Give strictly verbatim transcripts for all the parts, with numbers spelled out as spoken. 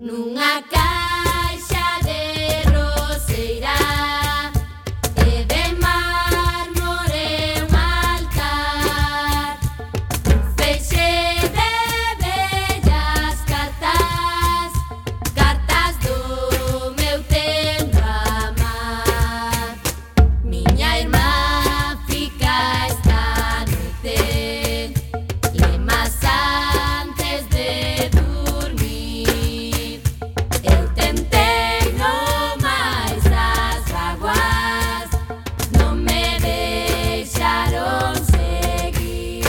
Nunha caixa de roseira e de mármore un altar, un feixe de bellas cartas, cartas do meu tempo amar. Miña irmá fica esta noite, lemas antes de dormir. Eu tentei no máis as vaguas, non me deixaron seguir.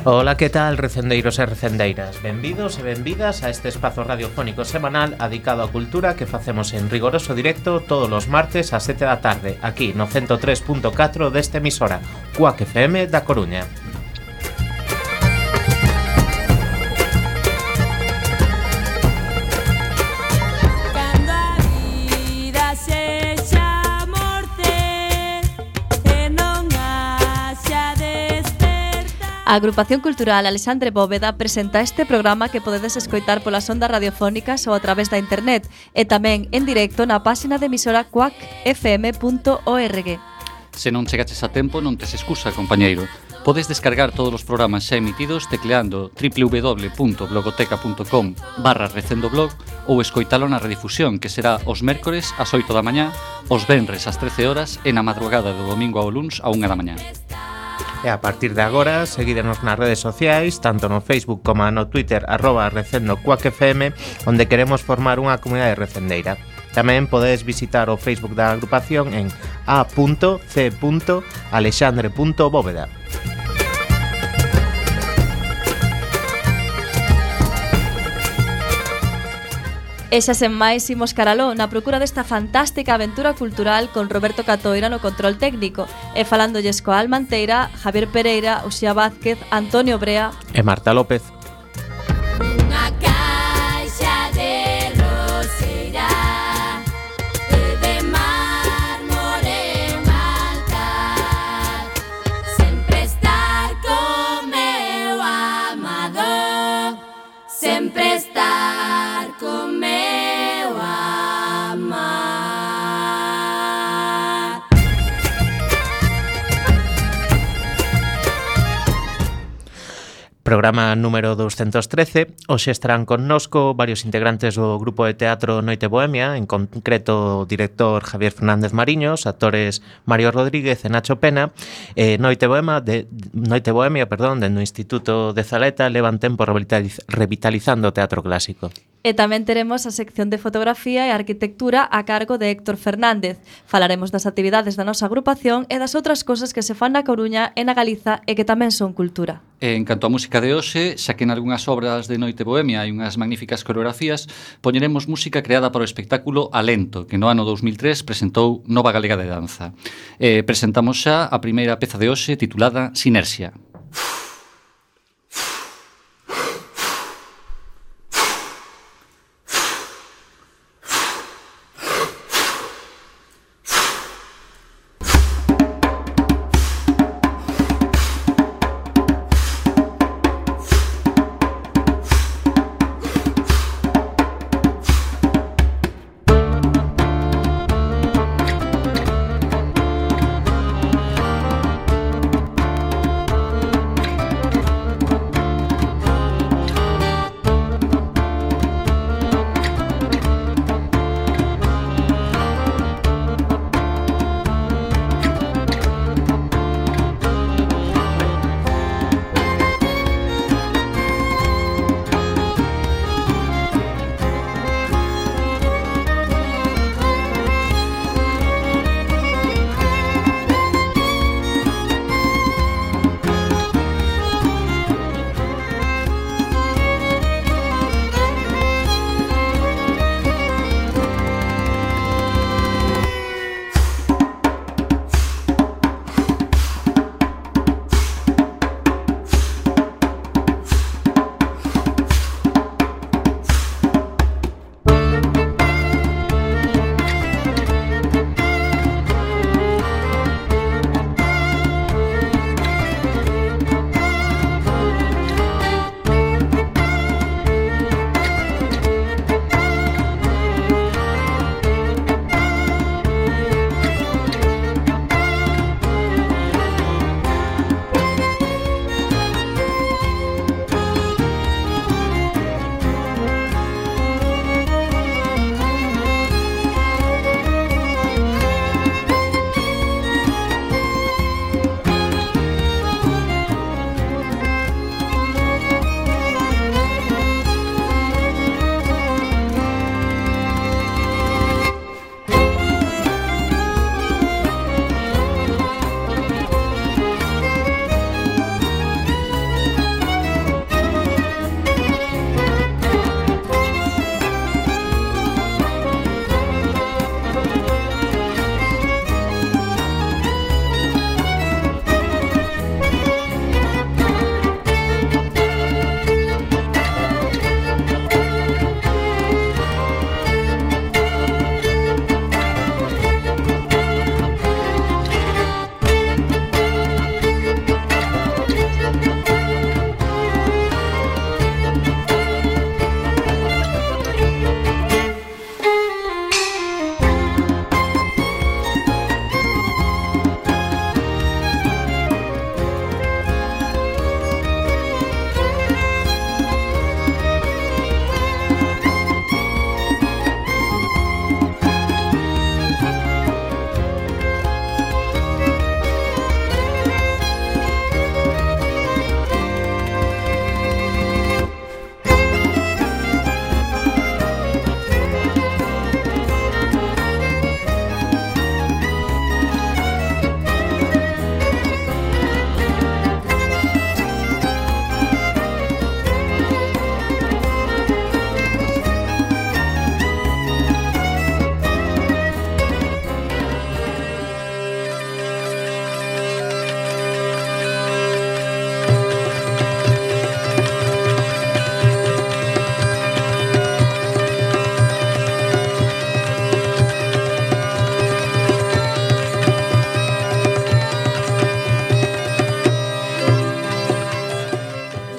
Ola, que tal, recendeiros e recendeiras? Benvidos e benvidas a este espazo radiofónico semanal adicado á cultura que facemos en rigoroso directo todos os martes ás sete da tarde, aquí no ciento tres punto catro deste emisora, Cuac F M da Coruña. Cando a vida sexa morte e non haxa despertar. A Agrupación Cultural Alexandre Bóveda presenta este programa que podedes escoitar polas ondas radiofónicas ou a través da internet e tamén en directo na páxina de emisora cuac f m punto org. Se non chegaches a tempo, non tes excusa, compañeiro. Podes descargar todos os programas xa emitidos tecleando w w w punto blogoteca punto com barra recendoblog ou escoitalo na redifusión, que será os mércores ás oito da mañá, os venres ás trece horas e na madrugada do domingo ao luns á unha da mañá. E a partir de agora, seguídenos nas redes sociais, tanto no Facebook como no Twitter, arroba recendo cuac F M, onde queremos formar unha comunidade recendeira. Tamén podedes visitar o Facebook da agrupación en a punto c punto alexandre punto bóveda. E xa sen máis imos caraló na procura desta fantástica aventura cultural con Roberto Catoira no control técnico e falándolles coa Almanteira, Javier Pereira, Uxía Vázquez, Antonio Brea E Marta López. Unha caixa de roseira e de mármore un altar, sempre estar con meu amado, sempre estar con meu amar. Programa número doscientos trece. Hoxe estarán connosco varios integrantes do grupo de teatro Noite Bohemia, en concreto o director Javier Fernández Mariños, actores Mario Rodríguez e Nacho Pena. Eh, Noite Bohemia, de, Noite Bohemia, perdón, dentro do Instituto de Zaleta levan tempo revitaliz, revitalizando o teatro clásico. E tamén teremos a sección de fotografía e arquitectura a cargo de Héctor Fernández. Falaremos das actividades da nosa agrupación e das outras cosas que se fan na Coruña e na Galiza e que tamén son cultura. E en canto á música de hoxe, xa que en algunhas obras de Noite Bohemia hai unhas magníficas coreografías, poñeremos música creada para o espectáculo Alento, que no ano dous mil tres presentou Nova Galega de Danza. E presentamos xa a primeira peza de hoxe titulada Sinerxia.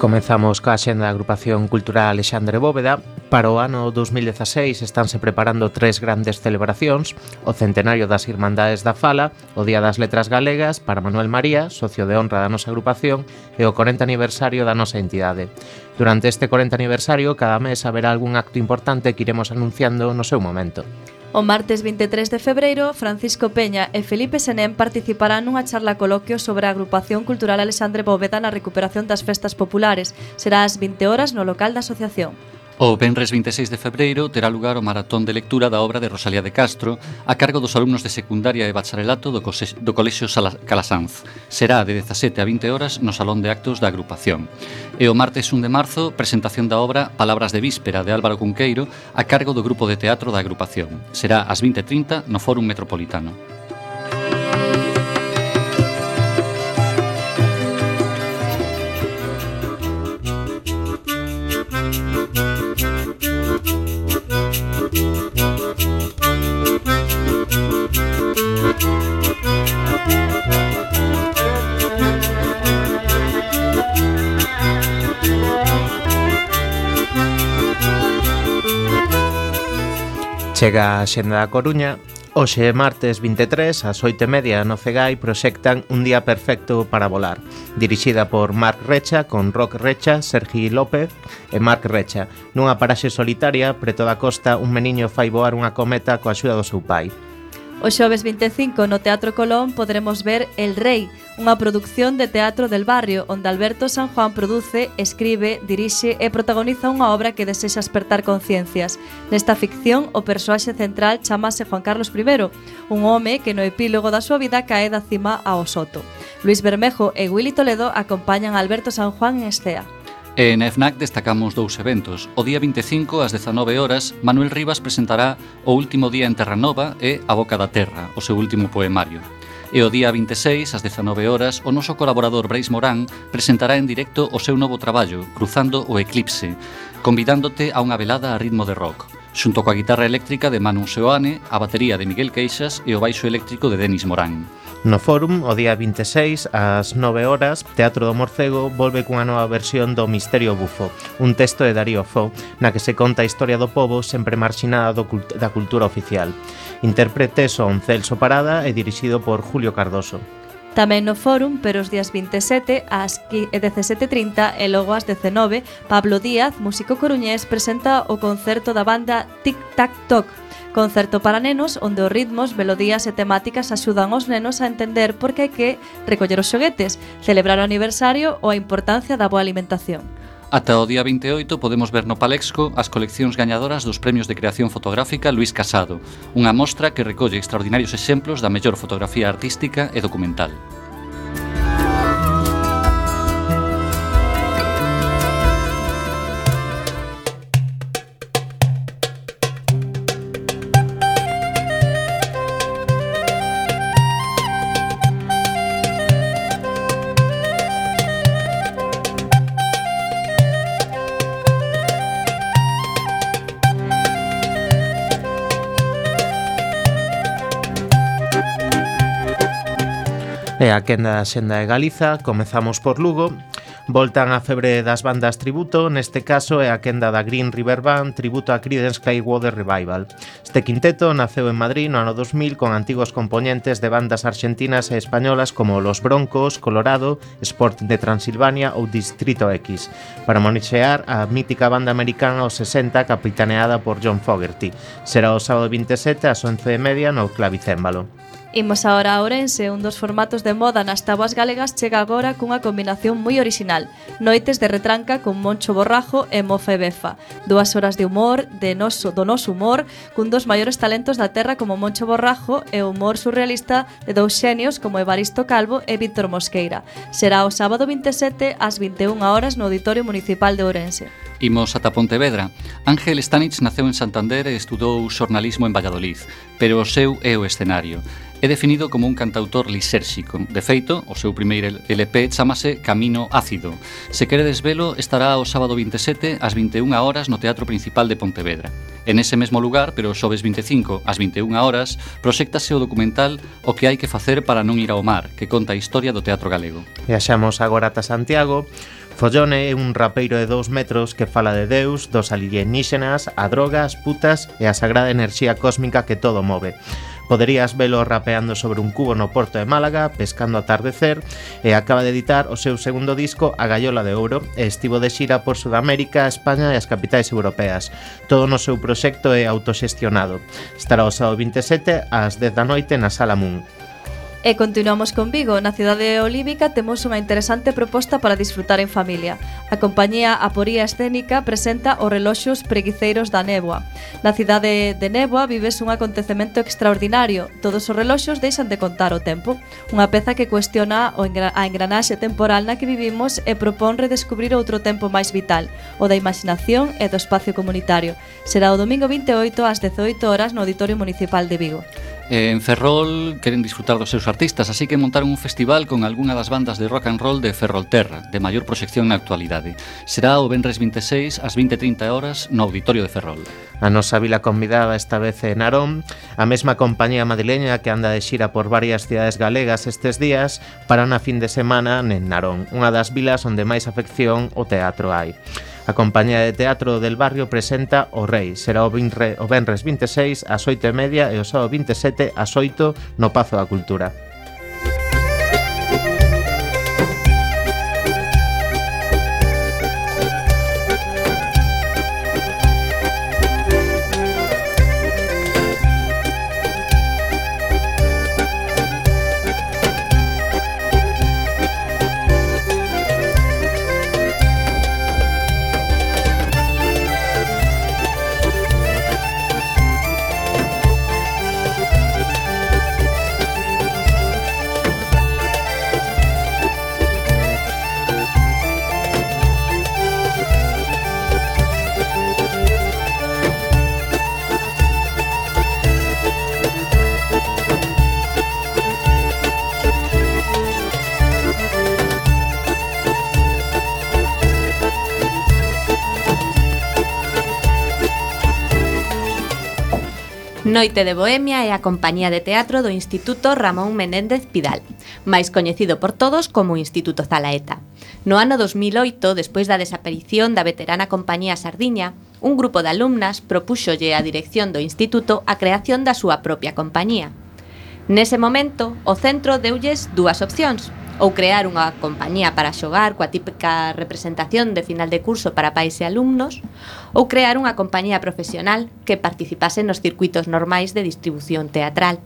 Comezamos coa xenda da agrupación cultural Alexandre Bóveda. Para o ano dos mil dezaseis estánse preparando tres grandes celebracións: o centenario das Irmandades da Fala, o Día das Letras Galegas para Manuel María, socio de honra da nosa agrupación, e o corenta aniversario da nosa entidade. Durante este corenta aniversario, cada mes haberá algún acto importante que iremos anunciando no seu momento. O martes vinte e tres de febreiro, Francisco Peña e Felipe Senén participarán nunha charla coloquio sobre a agrupación cultural Alexandre Bóveda na recuperación das festas populares. Será ás vinte horas no local da asociación. O venres vinte e seis de febreiro terá lugar o maratón de lectura da obra de Rosalía de Castro a cargo dos alumnos de secundaria e bacharelato do, do Colexio Calasanz. Será de dezasete a vinte horas no Salón de Actos da agrupación. E o martes un de marzo, presentación da obra Palabras de Víspera de Álvaro Cunqueiro a cargo do grupo de teatro da agrupación. Será ás vinte e trinta no Fórum Metropolitano. Chega a xenda da Coruña. Hoxe, martes vinte e tres, ás oito e media no Cegai, proxectan Un día perfecto para volar, dirixida por Marc Recha, con Roc Recha, Sergi López e Marc Recha. Nunha paraxe solitaria, preto da costa, un meniño fai voar unha cometa coa axuda do seu pai. O xoves vinte e cinco no Teatro Colón poderemos ver El Rei, unha produción de teatro del barrio onde Alberto San Juan produce, escribe, dirixe e protagoniza unha obra que desexa espertar conciencias. Nesta ficción, o persoaxe central chamase Juan Carlos I, un home que no epílogo da súa vida cae da cima ao soto. Luis Bermejo e Willy Toledo acompañan a Alberto San Juan en escea. E na FNAC destacamos dous eventos. O día vinte e cinco, ás dezanove horas, Manuel Rivas presentará O último día en Terranova e A boca da terra, o seu último poemario. E o día vinte e seis, ás dezanove horas, o noso colaborador Brais Morán presentará en directo o seu novo traballo, Cruzando o Eclipse, convidándote a unha velada a ritmo de rock, xunto coa guitarra eléctrica de Manu Seoane, a batería de Miguel Queixas e o baixo eléctrico de Denis Morán. No Fórum, o día vinte e seis, ás nove horas, Teatro do Morcego volve cunha nova versión do Misterio Bufo, un texto de Darío Fo, na que se conta a historia do pobo sempre marxinada do cult- da cultura oficial. Intérprete son Celso Parada e dirixido por Julio Cardoso. Tamén no Fórum, pero os días vinte e sete ás dezasete e trinta e logo ás dezenove, Pablo Díaz, músico coruñés, presenta o concerto da banda Tic Tac Toc, concerto para nenos onde os ritmos, melodías e temáticas axudan aos nenos a entender por que hai que recoller os xoguetes, celebrar o aniversario ou a importancia da boa alimentación. Ata o día vinte e oito podemos ver no Palexco as coleccións gañadoras dos premios de creación fotográfica Luis Casado, unha mostra que recolle extraordinarios exemplos da mellor fotografía artística e documental. E a quenda da xenda de Galiza, comezamos por Lugo. Voltan a febre das bandas tributo, neste caso é a quenda da Green River Band, tributo a Creedence Clearwater Revival. Este quinteto naceu en Madrid no ano dos mil con antigos componentes de bandas argentinas e españolas como Los Broncos, Colorado, Sport de Transilvania ou Distrito X, para monixear a mítica banda americana aos sesenta capitaneada por John Fogerty. Será o sábado vinte e sete ás once e media no Clavicémbalo. Imos agora a Ourense, un dos formatos de moda nas táboas galegas chega agora cunha combinación moi orixinal. Noites de retranca con Moncho Borrajo e Mofa e Befa. Dúas horas de humor, de noso, do noso humor, cun dos maiores talentos da terra como Moncho Borrajo e o humor surrealista de dous xenios como Evaristo Calvo e Víctor Mosqueira. Será o sábado vinte e sete ás vinte e unha horas no Auditorio Municipal de Ourense. Imos ata Pontevedra. Ángel Stanich naceu en Santander e estudou xornalismo en Valladolid, pero o seu é o escenario. É definido como un cantautor lisérxico. De feito, o seu primeiro L P chamase Camino Ácido. Se queredes velo, estará o sábado vinte e sete ás vinte e unha horas no Teatro Principal de Pontevedra. En ese mesmo lugar, pero o xoves vinte e cinco ás vinte e unha horas, proxéctase o documental O que hai que facer para non ir ao mar, que conta a historia do teatro galego. Viaxamos agora ata Santiago. Follone é un rapeiro de dous metros que fala de Deus, dos alienígenas, a droga, as putas e a sagrada enerxía cósmica que todo move. Poderías velo rapeando sobre un cubo no porto de Málaga, pescando atardecer, e acaba de editar o seu segundo disco, A Gaiola de Ouro, e estivo de xira por Sudamérica, España e as capitais europeas. Todo no seu proxecto é autoxestionado. Estará o sábado vinte e sete ás dez da noite na Sala Moon. E continuamos con Vigo. Na cidade olívica temos unha interesante proposta para disfrutar en familia. A compañía Aporía Escénica presenta os reloxos preguiceiros da néboa. Na cidade de Néboa vives un acontecemento extraordinario. Todos os reloxos deixan de contar o tempo. Unha peza que cuestiona o engra- a engranaxe temporal na que vivimos e propón redescubrir outro tempo máis vital, o da imaginación e do espacio comunitario. Será o domingo vinte e oito ás dezoito horas no Auditorio Municipal de Vigo. Eh, En Ferrol queren disfrutar dos seus artistas, así que montaron un festival con algunha das bandas de rock and roll de Ferrolterra, de maior proxección na actualidade. Será o venres vinte e seis ás vinte e trinta horas no Auditorio de Ferrol. A nosa vila convidada esta vez é Narón, a mesma compañía madrileña que anda de xira por varias cidades galegas estes días, para na fin de semana en Narón, unha das vilas onde máis afección o teatro hai. A compañía de teatro del barrio presenta O Rei. Será o, vinre, o venres vinte e seis ás oito e media e o sábado vinte e sete ás oito no Pazo da Cultura. Noite de Bohemia é a compañía de teatro do Instituto Ramón Menéndez Pidal, máis coñecido por todos como Instituto Zalaeta. No ano dos mil oito, despois da desaparición da veterana compañía Sardiña, un grupo de alumnas propúxolle á dirección do instituto a creación da súa propia compañía. Nese momento, o centro deulles dúas opcións: ou crear unha compañía para xogar coa típica representación de final de curso para pais e alumnos, ou crear unha compañía profesional que participase nos circuitos normais de distribución teatral.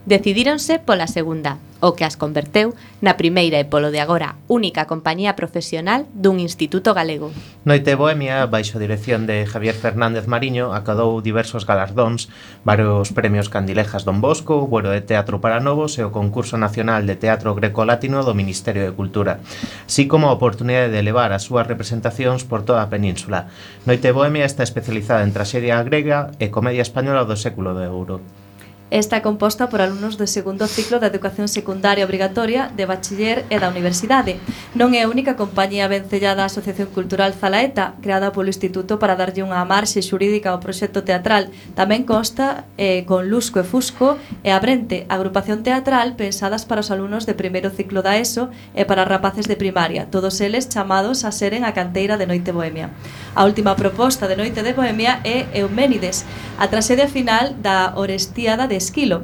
Decidíronse pola segunda, o que as converteu na primeira e polo de agora única compañía profesional dun instituto galego. Noite Bohemia, baixo dirección de Javier Fernández Mariño, acadou diversos galardóns, varios premios Candilejas Don Bosco, o Buero de Teatro para Novos e o Concurso Nacional de Teatro Greco-Latino do Ministerio de Cultura, así como a oportunidade de levar as súas representacións por toda a península. Noite Bohemia está especializada en traxedia grega e comedia española do século de ouro. Está composta por alumnos do segundo ciclo da educación secundaria obrigatoria, de bachiller e da universidade. Non é a única compañía vencellada á Asociación Cultural Zalaeta, creada polo Instituto para darlle unha marxe xurídica ao proxecto teatral. Tamén consta eh, con Lusco e Fusco e Abrente, agrupación teatral pensadas para os alumnos de primeiro ciclo da ESO e para rapaces de primaria, todos eles chamados a seren a canteira de Noite Bohemia. A última proposta de Noite de Bohemia é Euménides, a traxedia final da Orestiada de Esquilo,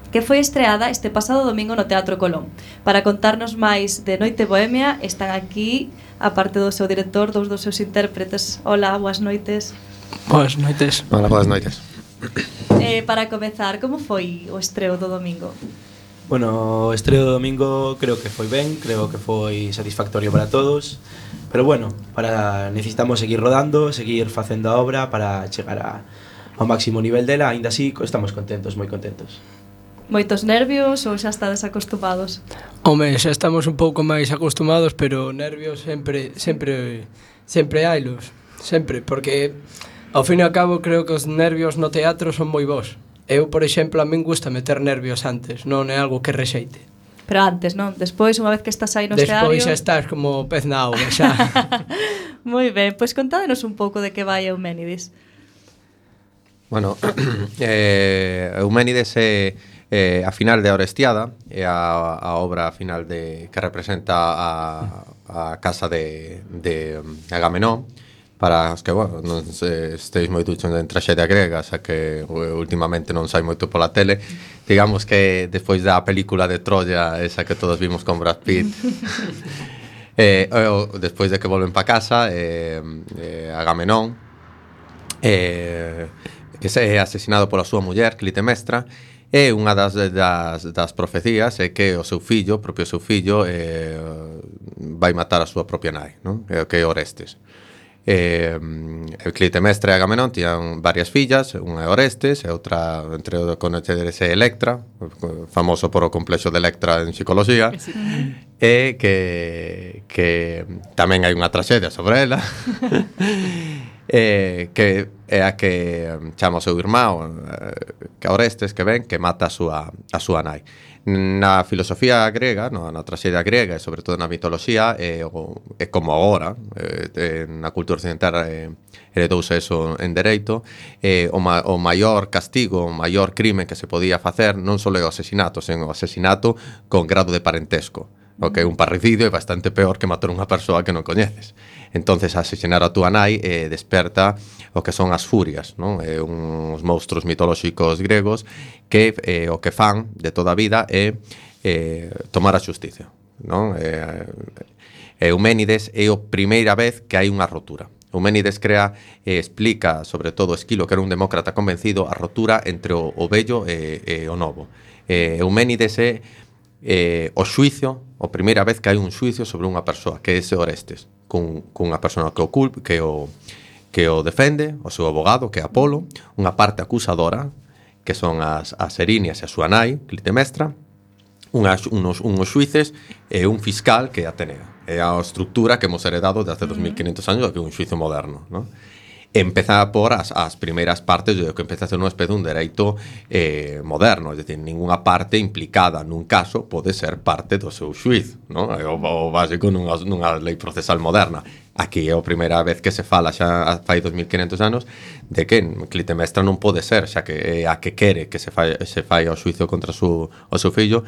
que foi estreada este pasado domingo no Teatro Colón. Para contarnos máis de Noite Bohemia están aquí, a parte do seu director, dous dos seus intérpretes. Hola, boas noites. Boas noites. Hola, boas noites. Eh, para comezar, como foi o estreo do domingo? Bueno, o estreo do domingo creo que foi ben, creo que foi satisfactorio para todos, pero bueno, para necesitamos seguir rodando, seguir facendo a obra para chegar a, ao máximo nivel dela, aínda así estamos contentos, moi contentos. Moitos nervios ou xa estades acostumados? Home, xa estamos un pouco máis acostumados, pero nervios sempre sempre sempre hailos, sempre, porque ao fin e ao cabo creo que os nervios no teatro son moi bons. Eu, por exemplo, a min gusta meter nervios antes, non é algo que rexeite. Pero antes, non? Despois, unha vez que estás aí no escenario... Despois xa estás como pez na auga, xa. Moi ben, pois contádenos un pouco de que vai Euménides. Bueno, eh, Euménides é, Eh, a final de A Orestiada é a, a obra final de que representa a, a casa de, de Agamenón. Para os que, bueno, non se, esteis moi duchos en traxedia grega, xa que últimamente non sai moito pola tele, digamos que despois da película de Troya, esa que todos vimos con Brad Pitt, eh, o, despois de que volven pa casa, eh, eh, Agamenón eh, que é asesinado pola súa muller, Clitemestra, e unha das, das, das profecías é que o seu fillo, o propio seu fillo, eh, vai matar a súa propia nai, non? Que é Orestes. Eh, Clitemestra e Agamenón tiñan varias fillas, unha é Orestes e outra, entre o coñeceres, é Electra, famoso por o complexo de Electra en psicología, e que, que tamén hai unha traxedia sobre ela, eh, que é a que chama o seu irmão, eh, que Orestes, que ven, que mata a súa, a súa nai. Na filosofía grega, no, na traxedia grega e sobre todo na mitoloxía, é, o, é como agora, é, na cultura occidental é, heredouse eso en dereito, é, o, ma, o maior castigo, o maior crime que se podía facer non só é o asesinato, sen o asesinato con grado de parentesco. O que un parricidio é bastante peor que matar unha persoa que non coñeces. Entonces, asesinar a túa nai eh, desperta o que son as furias, non? Eh, uns monstruos mitolóxicos gregos que eh, o que fan de toda a vida é eh, tomar a xusticia, non? Eh, Euménides é a primeira vez que hai unha rotura. Euménides crea e explica, sobre todo Esquilo, que era un demócrata convencido, a rotura entre o, o vello e, e o novo. Eh, Euménides é eh, o xuicio, a primeira vez que hai un xuicio sobre unha persoa, que é ese Orestes, cun, cunha persoa que o, culp, que o que o defende, o seu abogado, que é Apolo, unha parte acusadora, que son as, as Erinias e a súa nai, Clitemestra, unhas, unos, unos xuices e un fiscal, que é Atenea. É a estructura que hemos heredado desde dos mil quinhentos anos, que é un xuicio moderno, non? Empeza por as, as primeiras partes do que empeza a ser unha especie de un dereito eh, moderno, é dicir, ninguna parte implicada nun caso pode ser parte do seu xuiz, non? É o, o básico nunha, nunha lei procesal moderna. Aquí é a primeira vez que se fala xa fai dos mil quinhentos anos de que Clitemestra non pode ser, xa que é a que quere que se fai, se fai o xuicio contra su, o seu fillo,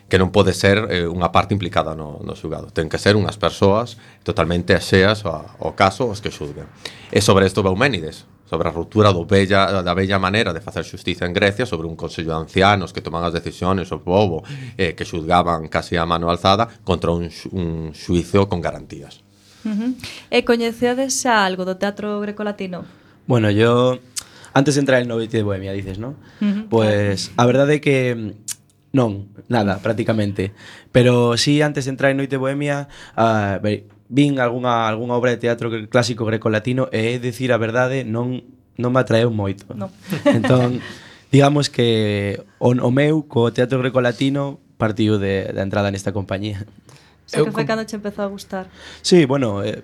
que non pode ser eh, unha parte implicada no, no xulgado. Ten que ser unhas persoas totalmente axeas ao, ao caso os que xulguen. E sobre isto va Euménides, sobre a ruptura do bella, da bella maneira de facer xustiza en Grecia, sobre un consello de ancianos que toman as decisións, o povo eh, que xulgaban casi a mano alzada contra un, un xuicio con garantías. Uh-huh. E coñecedes xa algo do teatro grecolatino? Bueno, yo antes de entrar en Noite de Bohemia, dices, ¿no? Uh-huh. Pues a verdade é que non, nada, prácticamente. Pero sí, antes de entrar en Noite de Bohemia, uh, vin algunha, algunha obra de teatro clásico grecolatino e é dicir a verdade, non, non me atraeu moito. No. Entón, digamos que o, o meu co teatro grecolatino partiu de, de entrada nesta compañía. O sea, que foi cando che empezou a gustar? Sí, bueno, eh,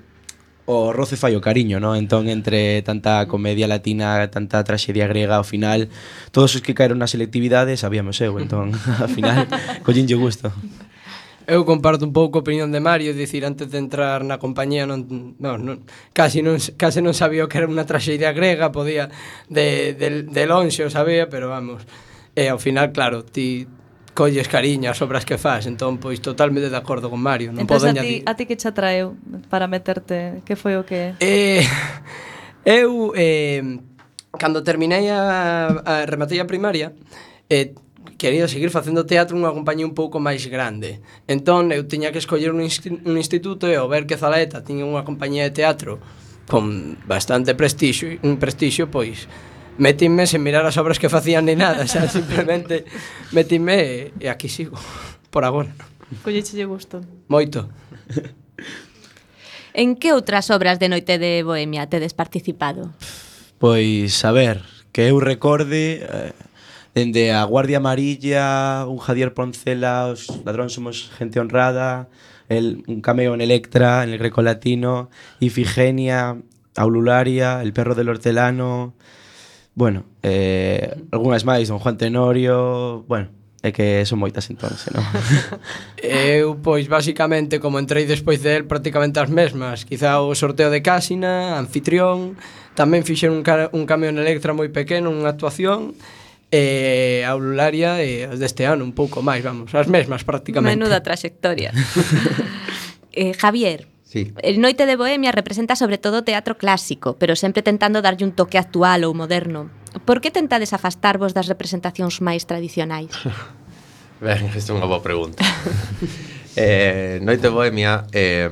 o roce fai o cariño, ¿no? Entón, entre tanta comedia latina, tanta traxedia grega, ao final, todos os que caeron na selectividade sabíamos eu, entón, ao final, collinlle gusto. Eu comparto un pouco a opinión de Mario, é dicir, antes de entrar na compañía non, non, non, casi, non, casi non sabía o que era unha traxedia grega, podía de, de, de lonxe o sabía, pero vamos, e ao final, claro, ti colles cariño as obras que faz, entón, pois, totalmente de acordo con Mario. Non entón, podo a ti, a ti que che atraeu para meterte, que foi o que... Eh, eu, eh, cando terminei a, a rematei a primaria, eh, quería seguir facendo teatro nunha compañía un pouco máis grande. Entón, eu tiña que escoller un, un instituto e ao ver que Zalaeta tiña unha compañía de teatro con bastante prestixio, un prestixio, pois, metíme sen mirar as obras que facían ni nada, xa, simplemente metíme e, e aquí sigo, por agora. Colleche gusto. Moito. En que outras obras de Noite de Bohemia tedes participado? Pois, a ver, que eu recorde... Eh, dende a Guardia Amarilla, un Javier Poncela, os ladróns somos gente honrada, el, un cameo en Electra, en el Grecolatino, Ifigenia, Aulularia, El perro del hortelano, bueno, eh, algunhas máis, Don Juan Tenorio, bueno, é que son moitas entonces, non? Eu, pois, basicamente, como entrei despois de él, prácticamente as mesmas. Quizá o sorteo de Cásina, Anfitrión, tamén fixeron un, un cameo en Electra moi pequeno, unha actuación, e a Aularia e as deste ano un pouco máis, vamos, as mesmas prácticamente. Menuda traxectoria. eh, Javier, Sí. el Noite de Bohemia representa sobre todo teatro clásico, pero sempre tentando darlle un toque actual ou moderno. Por que tentades afastarvos das representacións máis tradicionais? Ben, esta é unha boa pregunta. eh, Noite Bohemia, eh,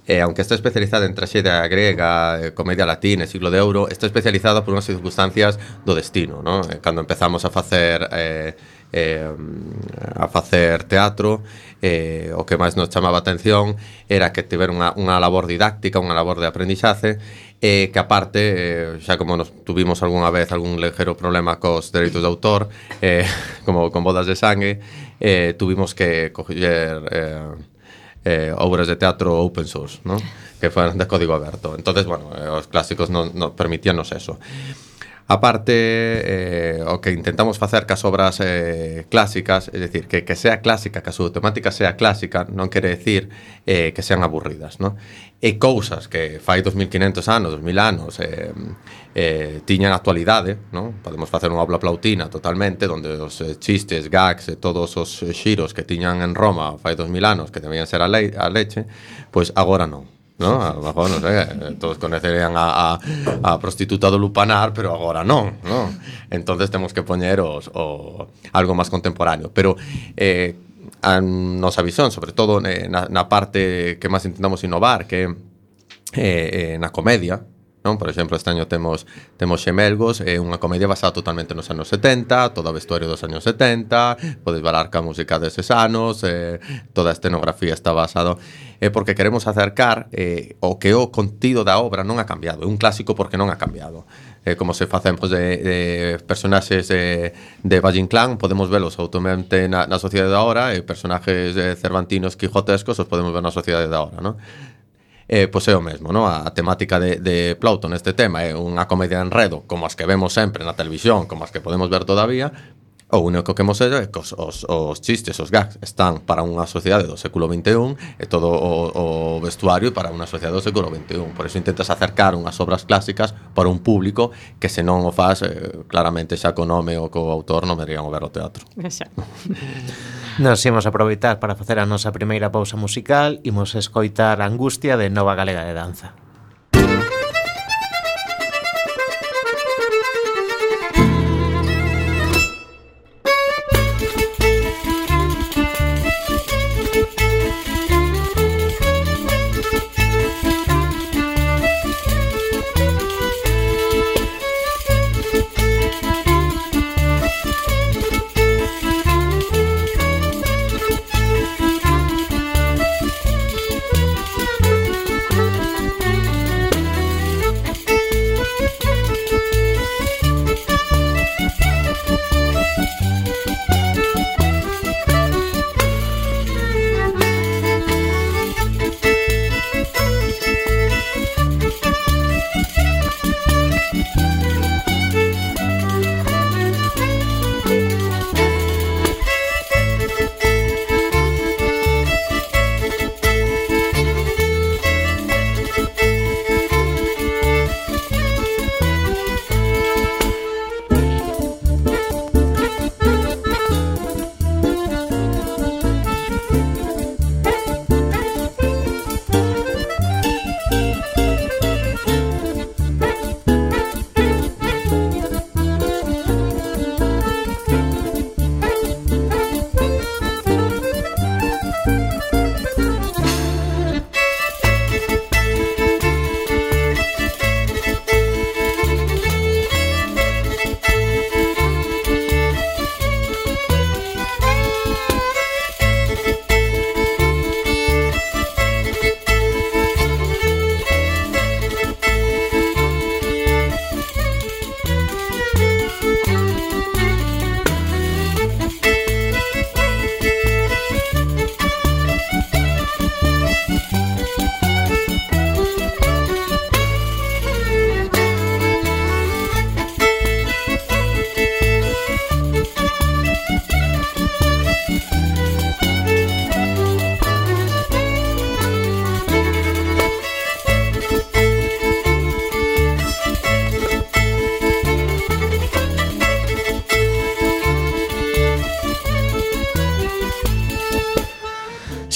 eh, aunque está especializada en traxedia grega, eh, comedia latina, siglo de ouro, está especializada por unhas circunstancias do destino, ¿no? Eh, cando empezamos a facer eh, eh, a facer teatro, eh, o que máis nos chamaba a atención era que tiver unha, unha labor didáctica, unha labor de aprendizaze, e eh, que aparte, eh, xa como nos tuvimos algunha vez algún ligero problema cos dereitos de autor, eh, como con Bodas de Sangue, eh, tuvimos que coger eh, eh, obras de teatro open source, ¿no? Que fueran de código aberto. Entonces, bueno, eh, os clásicos non, non permitíanos eso. Aparte, eh, o que intentamos facer cas obras eh, clásicas, é dicir, que, que sea clásica, que a súa temática sea clásica, non quere decir eh, que sean aburridas, non? E cousas que fai dos mil quinhentos anos, dos mil anos, eh, eh, tiñan actualidade, non? Podemos facer unha obra plautina totalmente, onde os eh, chistes, gags e todos os eh, xiros que tiñan en Roma fai dos mil anos, que debían ser a, le a leche, pois agora non. ¿No? A lo mejor, no sé, todos conocerían a, a, a prostituta do Lupanar, pero agora non, ¿no? Entonces temos que poñer os, o, algo máis contemporáneo. Pero eh, a nosa visión, sobre todo eh, na, na parte que máis intentamos innovar, que é eh, eh, na comedia, non? Por exemplo, este año temos temos Xemelgos, é unha comedia basada totalmente nos anos setenta, todo o vestuario dos anos setenta, podes balar ca música deses anos, eh, toda a escenografía está basado, é eh, porque queremos acercar eh, o que o contido da obra non ha cambiado, é un clásico porque non ha cambiado. Eh, como se facemos de, de personaxes de, de Valle Inclán, podemos velos automente na, na sociedade da hora, e personaxes eh, cervantinos, quijotescos, os podemos ver na sociedade da hora, non? Eh, pois é o mesmo, no? A temática de, de Plauto neste tema é unha comedia de enredo como as que vemos sempre na televisión, como as que podemos ver todavía. O único que hemos hecho é que os, os, os chistes, os gags están para unha sociedade do século vinte e un, e todo o, o vestuario para unha sociedade do século vinte e un. Por eso intentas acercar unhas obras clásicas para un público que se non o faz eh, claramente xa co nome ou co autor non verían o ver o teatro. Nos imos aproveitar para facer a nosa primeira pausa musical. Imos escoitar Angustia de Nova Galega de Danza. Thank you.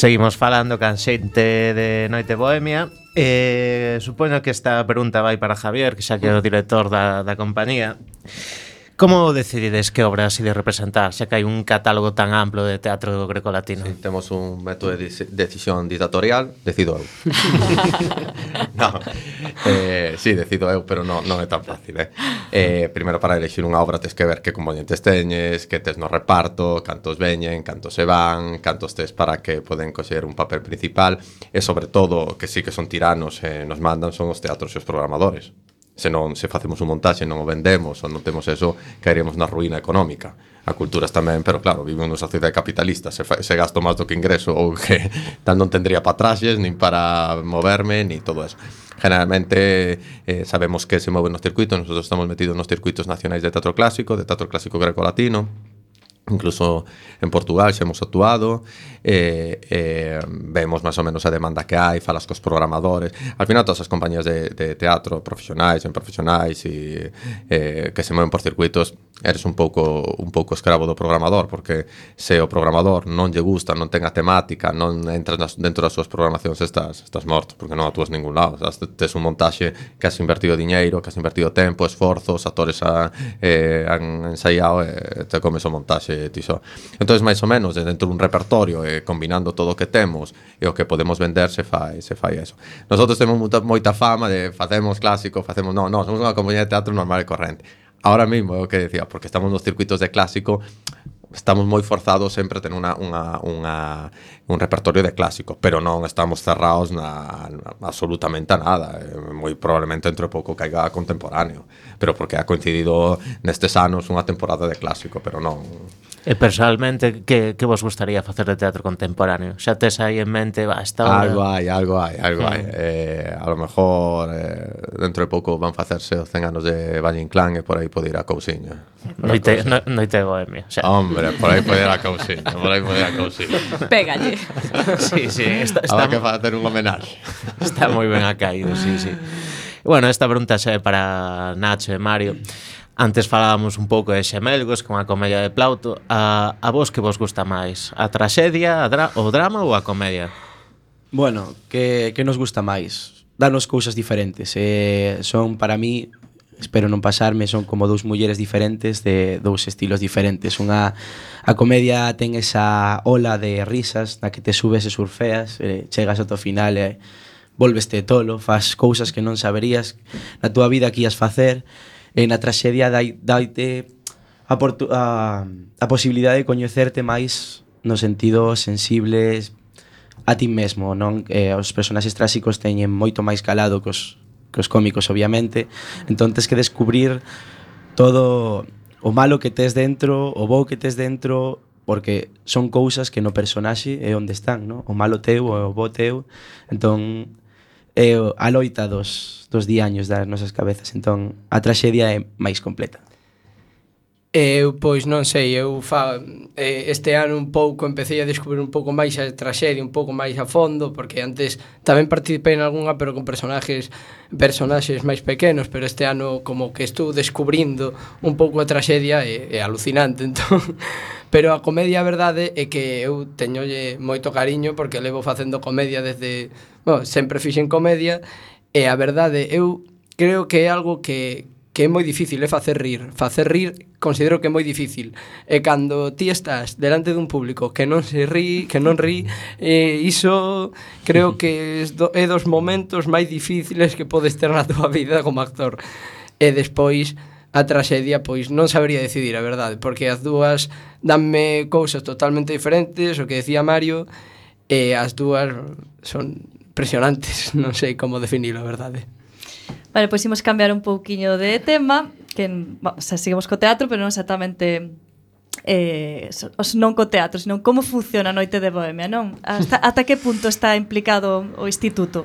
Seguimos falando can xente de Noite Bohemia. Eh, supoño que esta pregunta vai para Javier, que xa que é o director da, da compañía. Como decidides que obras ides representar, xa que hai un catálogo tan amplo de teatro grecolatino? Sí, temos un método de decisión dictatorial, decido eu. No, eh, sí, decido eu, pero non, non é tan fácil, eh? eh Primeiro, para elegir unha obra tes que ver que componentes teñes, que tes no reparto, cantos veñen, cantos se van, cantos tes para que poden coxer un papel principal, e sobre todo, que sí que son tiranos e nos mandan, son os teatros e os programadores. Se non se facemos un montaxe, non o vendemos ou non temos eso, caeríamos na ruína económica. A culturas tamén, pero claro, vivimos nunha sociedade capitalista, se, fa, se gasto máis do que ingreso ou que tan non tendría para traxes, nin para moverme, ni todo eso. Generalmente eh, sabemos que se moven nos circuitos, nosotros estamos metidos nos circuitos nacionais de teatro clásico, de teatro clásico greco-latino, incluso en Portugal xa hemos actuado, eh, eh, vemos máis ou menos a demanda que hai, falas cos programadores. Al final todas as compañías de, de teatro profesionais, en profesionais e, eh, que se moven por circuitos, eres un pouco un pouco escravo do programador, porque se o programador non lle gusta, non ten a temática, non entras nas, dentro das súas programacións, estás, estás morto, porque non actúas ningún lado. Estás, tes un montaxe que has invertido diñeiro, que has invertido tempo, esforzo, os actores a, eh, han ensaiado e te comes o montaxe ti só. Entonces, máis ou menos, dentro dun repertorio, eh, combinando todo o que temos e o que podemos vender, se fai, se fai eso. Nosotros temos moita, moita fama de facemos clásico, facemos... Non, non, somos unha compañía de teatro normal e corrente. Ahora mismo, é o que decía, porque estamos nos circuitos de clásico, estamos moi forzados sempre a tener unha, unha, unha, un repertorio de clásico, pero non estamos cerrados na, na absolutamente a nada. Moi probablemente entre pouco caiga contemporáneo, pero porque ha coincidido nestes anos unha temporada de clásico, pero non... E personalmente, que, que vos gustaría facer de teatro contemporáneo? Xa tes aí en mente, va, esta obra... Algo hai, algo hai, algo Mm. hai. Eh, a lo mejor eh, dentro de pouco van facerse os cen anos de Valle Inclán e por aí pode ir a cousiña. Noite, no, noite Bohemia. O sea, Hombre, por aí pode ir a cousiña, por aí pode ir a cousiña. Pégalle. sí, sí, está, está, Habrá que facer un homenaxe. está moi ben acaído, sí, sí. Bueno, esta pregunta xa é para Nacho e Mario. Antes falábamos un pouco de Xemelgos, con a comedia de Plauto. A, a vos que vos gusta máis? A traxedia, a dra o drama ou a comedia? Bueno, que, que nos gusta máis? Danos cousas diferentes. Eh, son, para mí, espero non pasarme, son como dous mulleres diferentes de dous estilos diferentes. Unha, a comedia ten esa ola de risas na que te subes e surfeas, eh, chegas ao final e volveste tolo, faz cousas que non saberías na túa vida que ias facer. E na traxedia dai, daite a, a, a posibilidade de coñecerte máis no sentido sensible a ti mesmo, non? Eh, os personaxes tráxicos teñen moito máis calado que os, que os cómicos, obviamente. Entón tens que descubrir todo o malo que tes dentro, o bo que tes dentro, porque son cousas que no personaxe é onde están, non? O malo teu, o bo teu. Entón é a loita dos, dos diaños das nosas cabezas. Entón a traxedia é máis completa. Eu, pois, non sei, eu fa, eh, este ano un pouco empecé a descubrir un pouco máis a traxedia, un pouco máis a fondo, porque antes tamén participei en algunha, pero con personaxes personaxes máis pequenos, pero este ano como que estou descubrindo un pouco a traxedia, é, é alucinante, entón. Pero a comedia, a verdade, é que eu teñolle moito cariño, porque levo facendo comedia desde... Bueno, sempre fixen comedia, e a verdade, eu creo que é algo que... que é moi difícil, é facer rir. Facer rir considero que é moi difícil. E cando ti estás delante dun público que non se rí, que non rí, eh, iso creo que é dos momentos máis difíciles que podes ter na tua vida como actor. E despois a traxedia, pois non sabría decidir, a verdade, porque as dúas danme cousas totalmente diferentes, o que decía Mario, e as dúas son impresionantes, non sei como definilo, a verdade. Vale, pois imos cambiar un pouquiño de tema, que o sea, seguimos co teatro, pero non exactamente eh, os non co teatro, sino como funciona a Noite de Bohemia, non? Hasta, ata que punto está implicado o instituto?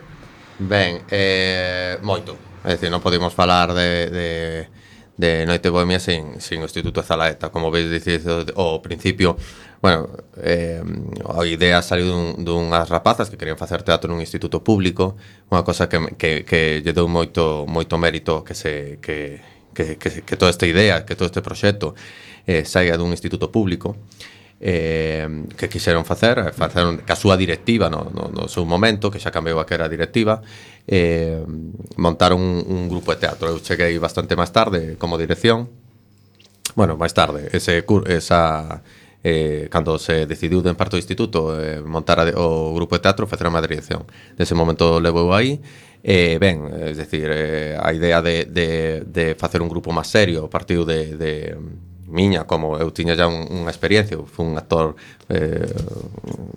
Ben, eh, moito. É dicir, non podemos falar de, de, de Noite Bohemia sin, sin o Instituto Zalaeta. Como veis, dicir, ao principio, bueno, eh, a idea saliu dun, dunhas rapazas que querían facer teatro nun instituto público, unha cosa que, que, que lle deu moito, moito mérito que, se, que, que, que, que toda esta idea, que todo este proxecto eh, saia dun instituto público. eh, que quixeron facer, faceron ca súa directiva no, no, no seu momento, que xa cambiou a que era directiva, eh, montaron un, un grupo de teatro. Eu cheguei bastante máis tarde como dirección, bueno, máis tarde, ese esa eh, cando se decidiu en parte do instituto eh, montar a, o grupo de teatro, facer a dirección. Nese momento levou aí. Eh, ben, es decir, eh, a idea de, de, de facer un grupo máis serio partiu de, de miña, como eu tiña já un, unha experiencia, eu fui un actor eh,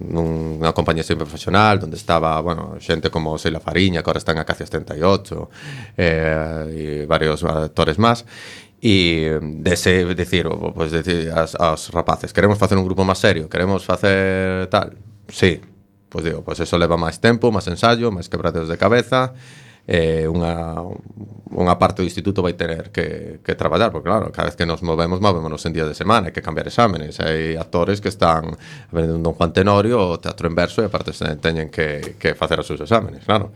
nunha compañía sempre profesional onde estaba, bueno, xente como Sheila Fariña, que ahora está en Acacia setenta e ocho, eh, e varios actores máis, e dese, decir, pues, decir aos, aos rapaces, queremos facer un grupo máis serio, queremos facer tal, sí, pois digo, pois eso leva máis tempo, máis ensayo, máis quebraderos de cabeza, eh, unha, unha parte do instituto vai tener que, que traballar, porque claro, cada vez que nos movemos, movémonos en días de semana, hai que cambiar exámenes, hai actores que están aprendendo un Don Juan Tenorio, o teatro en verso, e aparte teñen que, que facer os seus exámenes, claro.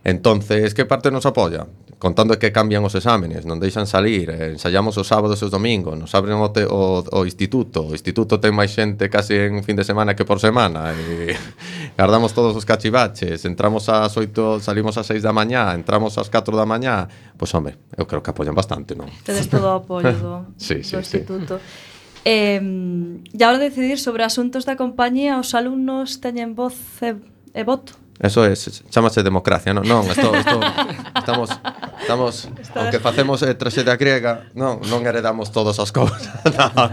Entonces, que parte nos apoia? Contando que cambian os exámenes, non deixan salir, eh, ensayamos os sábados e os domingos, nos abren o, te, o, o instituto, o instituto ten máis xente casi en fin de semana que por semana, e guardamos todos os cachivaches, entramos ás oito, salimos ás seis da mañá, entramos ás catro da mañá, pois, home, eu creo que apoian bastante, non? Tedes todo o apoio do, sí, sí, do instituto. Sí. Eh, e a hora de decidir sobre asuntos da compañía, os alumnos teñen voz e, e voto? Eso é, chámase democracia, non? Non, isto, isto, estamos, estamos, aunque facemos eh, traxedia griega, non, non heredamos todas as cousas. No,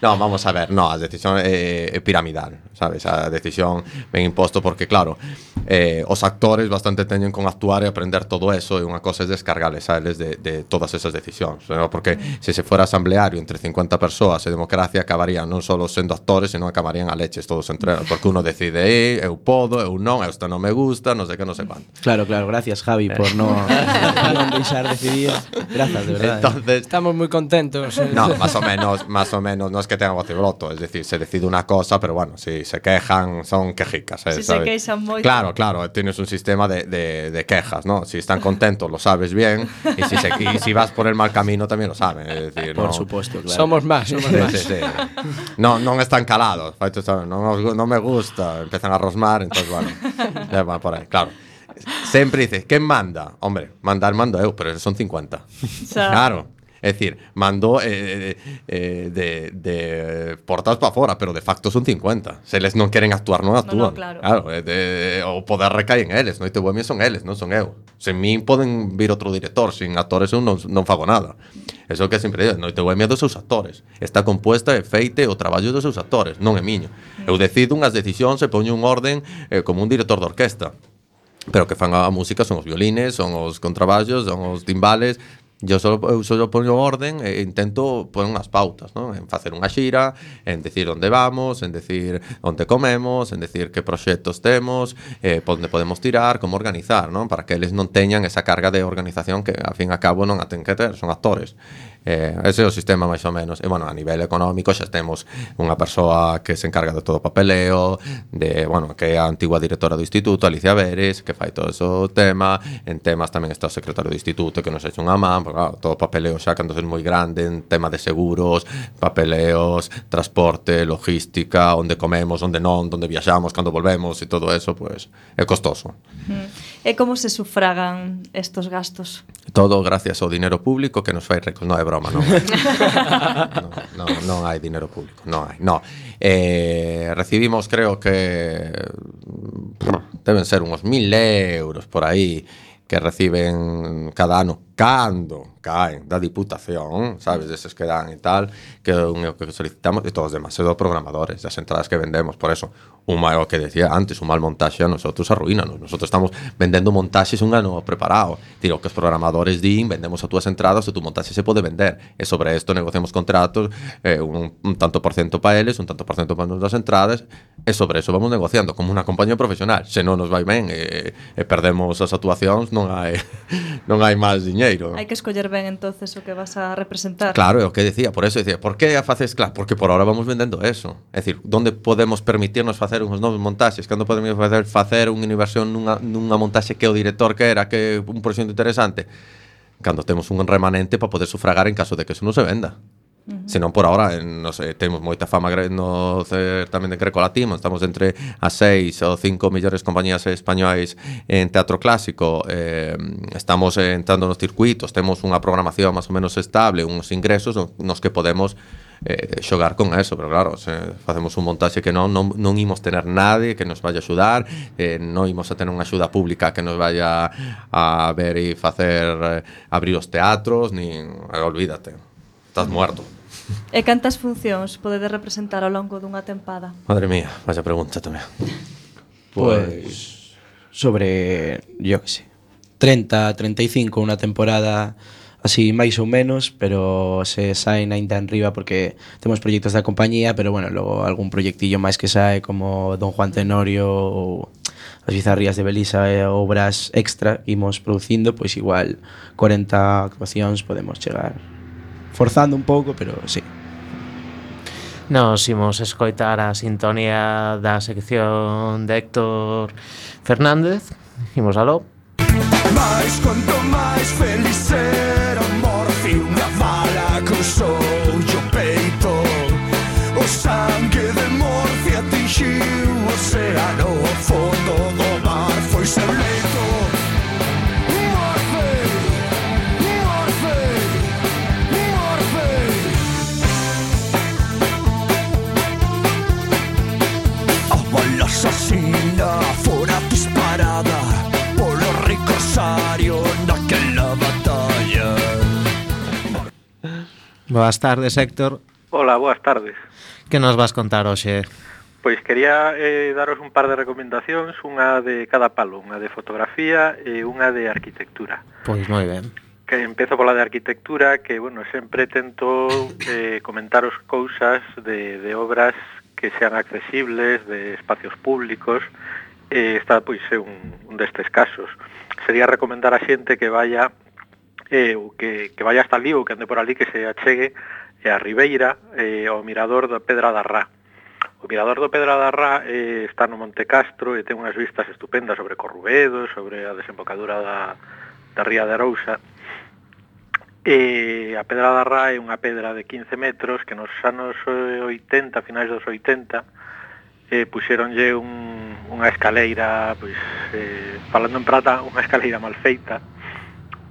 no, vamos a ver, no, a decisión é, é piramidal, sabes? A decisión ben imposto porque, claro, eh, os actores bastante teñen con actuar e aprender todo eso, e unha cosa é descargarles a eles de, de todas esas decisións, ¿no? Porque se se fora asambleario entre cincuenta persoas e democracia, acabarían non só sendo actores, senón acabarían a leches todos entre eles, porque uno decide, eh, eu podo, eu non, isto non me gusta, non sei que, non sei quanto. Claro, claro, gracias Javi por no, non deixar decidir. Gracias, de verdade. Entonces, estamos moi contentos. Eh. No, más o menos, más o menos, no es que tengan voz y voto, es decir, se decide una cosa, pero bueno, si se quejan, son quejicas. Eh, si ¿sabes? se queixan moito. Claro, claro, tienes un sistema de, de, de quejas, ¿no? Si están contentos, lo sabes bien, y si, se, y si vas por el mal camino, también lo saben. Es decir, por no, supuesto, claro. Somos más, somos sí, más. Sí, sí. No, no están calados, no, no me gusta, empiezan a rosmar, entonces bueno, ya van por ahí, claro. Siempre dices, ¿quién manda? Hombre, mandar mando eu, pero son cincuenta. O sea, claro. Es decir, mando eh, eh, de, de portas para fora, pero de facto son cincuenta. Se les non queren actuar, non actúan. No, no, claro. Claro, de, de, o poder recae en eles. Noite Bohemia son eles, non son eu. Sen min poden vir outro director, sin actores eu non, non fago nada. Eso que sempre digo, Noite Bohemia dos seus actores. Está compuesta e feite o traballo dos seus actores, non é miño. Eu decido unhas decisións e poño un orden eh, como un director de orquesta. Pero que fan a música son os violines, son os contraballos, son os timbales. Yo só eu só poño orden e intento poñer unhas pautas, ¿no? En facer unha xira, en decir onde vamos, en decir onde comemos, en decir que proxectos temos, eh, onde podemos tirar, como organizar, ¿no? Para que eles non teñan esa carga de organización que, a fin e a cabo, non a ten que ter, son actores. Eh, ese é o sistema máis ou menos. E, bueno, a nivel económico xa temos unha persoa que se encarga de todo o papeleo, de, bueno, que é a antigua directora do instituto, Alicia Veres, que fai todo ese tema. En temas tamén está o secretario do instituto, que nos echa unha man, porque, claro, todo o papeleo xa cando é moi grande, en tema de seguros, papeleos, transporte, logística, onde comemos, onde non, onde viaxamos, cando volvemos e todo eso, pues, é costoso. E como se sufragan estos gastos? Todo gracias ao dinero público que nos fai ricos. Non é broma, non. non, non, non hai dinero público, non hai. No. Eh, recibimos, creo que deben ser uns mil euros por aí que reciben cada ano cando caen da Diputación, sabes, deses que dan e tal, que é o que solicitamos, e todos os demás, e dos programadores, das entradas que vendemos. Por eso, un mal, o que decía antes, un mal montaxe a nosotros arruínanos. Nosotros estamos vendendo montaxes un ano preparado. Tiro que os programadores din, vendemos as túas entradas, o tu montaxe se pode vender. E sobre isto negociamos contratos, eh, un, un tanto por cento para eles, un tanto por cento para nosas entradas, e sobre eso vamos negociando como unha compañía profesional. Se non nos vai ben e, e perdemos as actuacións, non hai non hai máis diñeiro. Hai que escoller ben entonces o que vas a representar. Claro, é o que decía, por eso decía, por que a faces? Claro, porque por ahora vamos vendendo eso. É dicir, onde podemos permitirnos facer uns novos montaxes? Cando podemos facer facer unha inversión nunha, nunha montaxe que o director quera, que un proxecto interesante? Cando temos un remanente para poder sufragar en caso de que eso non se venda. Uh -huh. Senón por ahora, non sei, temos moita fama no certamen de Greco Latino, estamos entre as seis ou cinco mellores compañías españolas en teatro clásico, eh, estamos entrando nos circuitos, temos unha programación máis ou menos estable, uns ingresos nos que podemos eh, xogar con eso, pero claro, se facemos un montaxe que non, non, non imos tener nadie que nos vaya a axudar, eh, non imos a tener unha axuda pública que nos vaya a ver e facer eh, abrir os teatros, nin, eh, olvídate, estás muerto. E cantas funcións podedes representar ao longo dunha tempada? Madre mía, vaya pregunta tamén. Pues sobre, yo que sé, treinta, treinta e cinco unha temporada así máis ou menos, pero se saen ainda en riba porque temos proxectos da compañía, pero bueno, logo algún proxectillo máis que sae como Don Juan Tenorio ou as Bizarrías de Belisa e obras extra que imos producindo, pois igual cuarenta actuacións podemos chegar forzando un pouco, pero sí. Nos imos escoitar a sintonía da sección de Héctor Fernández. Imos aló. Mais conto máis feliz era o morfi, unha bala cruzou o peito, o sangue de morfi atingiu o océano, o fondo do mar foi seu leito. Asasina fora disparada polo ricosario naquela batalla. Boas tardes, Héctor. Hola, boas tardes. Que nos vas contar hoxe? Pois quería eh, daros un par de recomendacións, unha de cada palo, unha de fotografía e unha de arquitectura. Pois moi ben. Que empezo pola de arquitectura, que, bueno, sempre tento eh, comentaros cousas de, de obras que sean accesibles, de espacios públicos, eh, está pois é un, un destes casos. Sería recomendar a xente que vaya eh, que, que vaya hasta ali ou que ande por ali, que se achegue eh, a Ribeira, eh, ao mirador da Pedra da Rá. O mirador do Pedra da Rá eh, está no Monte Castro e ten unhas vistas estupendas sobre Corrubedo, sobre a desembocadura da, da Ría de Arousa. E a Pedra da Rá é unha pedra de quince metros que nos anos oitenta, finais dos oitenta, eh, puxeronlle un, unha escaleira, pois, eh, falando en prata, unha escaleira mal feita,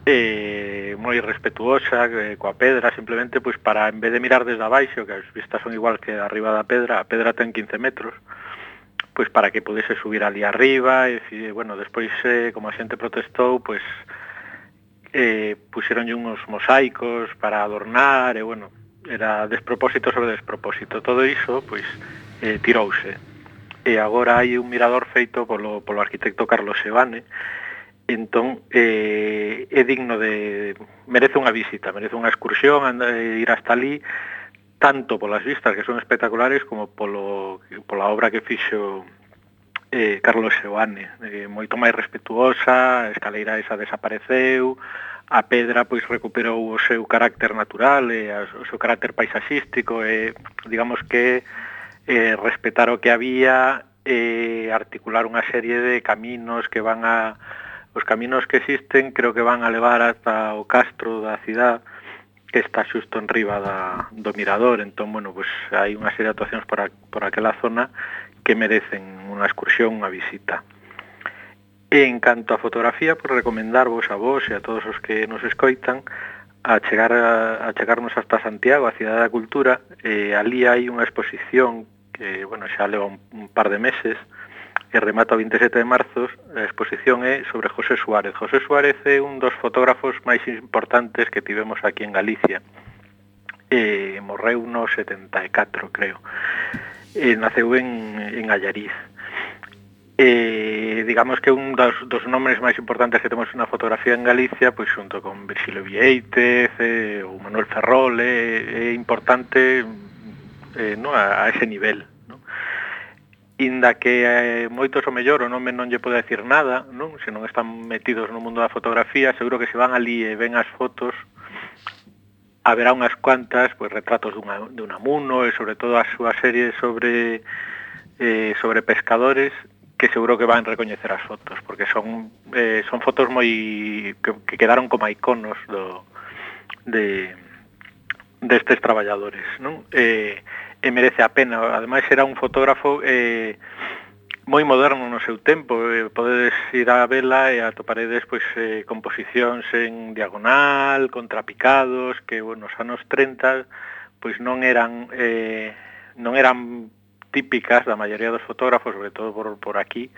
eh, moi respetuosa eh, coa pedra, simplemente pois para, en vez de mirar desde abaixo, que as vistas son igual que arriba da pedra, a pedra ten quince metros, pois para que pudese subir ali arriba, e, bueno, despois, eh, como a xente protestou, pois, eh, puxeronlle uns mosaicos para adornar, e, bueno, era despropósito sobre despropósito. Todo iso, pois, eh, tirouse. E agora hai un mirador feito polo, polo arquitecto Carlos Sebane, entón, eh, é digno de... merece unha visita, merece unha excursión, andar, ir hasta ali, tanto polas vistas, que son espectaculares, como polo, pola obra que fixo eh, Carlos Sebane, eh, moito máis respetuosa, a escaleira esa desapareceu, a pedra pois recuperou o seu carácter natural e a, o seu carácter paisaxístico, e digamos que eh, respetar o que había e eh, articular unha serie de caminos que van a... os caminos que existen creo que van a levar hasta o castro da cidade, que está xusto en riba da, do mirador. Entón, bueno, pues hai unha serie de actuacións por, a, por aquela zona que merecen unha excursión, unha visita. E en canto a fotografía, pues recomendarvos a vos e a todos os que nos escoitan a chegar a, a chegarnos hasta Santiago, a Cidade da Cultura. E ali hai unha exposición que, bueno, xa leva un, un par de meses, e remata o veintisiete de marzo. A exposición é sobre José Suárez. José Suárez é un dos fotógrafos máis importantes que tivemos aquí en Galicia. E morreu no setenta e catro, creo. E naceu en, en Allariz. E digamos que un dos, dos nomes máis importantes que temos na fotografía en Galicia, pois xunto con Virxilio Vieitez e, ou Manuel Ferrol, é, é importante eh, no, a, a ese nivel. Inda que eh, moitos o mellor o nome non lle pode decir nada, non? Se non están metidos no mundo da fotografía, seguro que se van ali e ven as fotos, haberá unhas cuantas, pois, retratos dunha, de Unamuno e sobre todo a súa serie sobre eh, sobre pescadores, que seguro que van recoñecer as fotos, porque son eh, son fotos moi que, que quedaron como iconos do de destes traballadores, non? E, e merece a pena. Ademais, era un fotógrafo eh, moi moderno no seu tempo. Eh, podedes ir a vela e atoparedes pois, eh, composicións en diagonal, contrapicados, que bueno, nos anos treinta pois non eran eh, non eran típicas da maioría dos fotógrafos, sobre todo por, por aquí,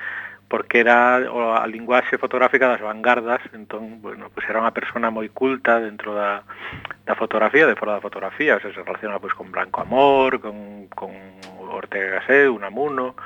porque era a linguaxe fotográfica das vanguardas. Entón, bueno, pues era unha persona moi culta dentro da, da fotografía, de fora da fotografía, o sea, se relaciona pues, con Blanco Amor, con, con Ortega y Gasset, Unamuno.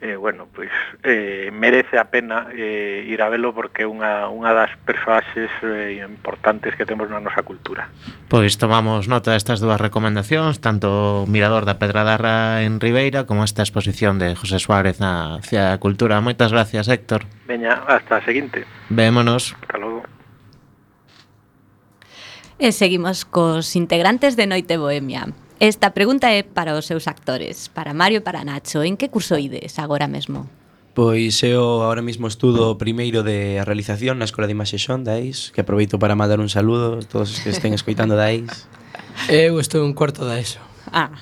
Eh, bueno, pois eh, merece a pena eh, ir a velo porque é unha, unha das persoaxes eh, importantes que temos na nosa cultura. Pois tomamos nota destas dúas recomendacións, tanto o Mirador da Pedradarra en Ribeira como esta exposición de José Suárez na Cidade da Cultura. Moitas gracias, Héctor. Veña, hasta a seguinte. Vémonos. Hasta logo. E seguimos cos integrantes de Noite Bohemia. Esta pregunta é para os seus actores, para Mario e para Nacho. En que curso ides agora mesmo? Pois eu agora mesmo estudo o primeiro de realización na Escola de Imaxe Xon da E I S, que aproveito para mandar un saludo a todos os que estén escoitando da E I S. Eu estou un cuarto da ESO. Ah.